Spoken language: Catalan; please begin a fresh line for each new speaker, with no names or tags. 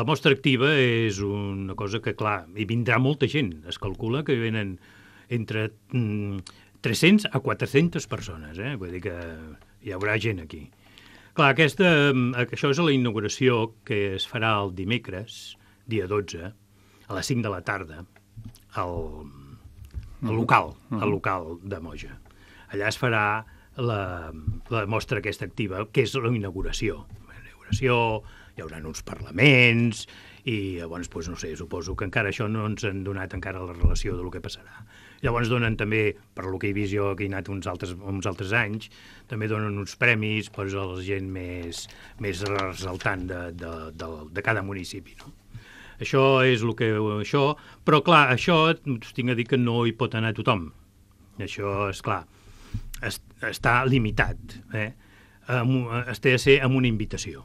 La mostra activa és una cosa que, clar, hi vindrà molta gent. Es calcula que venen entre 300 a 400 persones, Vull dir que hi haurà gent aquí. Clar, això és a la inauguració que es farà el dimecres, dia 12, a les 5 de la tarda, al local de Moja. Allà es farà la mostra aquesta activa, que és la inauguració. La inauguració, hi haurà uns parlaments i llavors, no sé, suposo que encara això no ens han donat encara la relació del que passarà. Llavors donen també, per lo que he vist jo que he anat uns altres anys, també donen uns premis a la gent més ressaltant de cada municipi, no? Això és el que... Però, clar, això tinc a dir que no hi pot anar tothom. Això, és clar, està limitat. Es té de ser amb una invitació.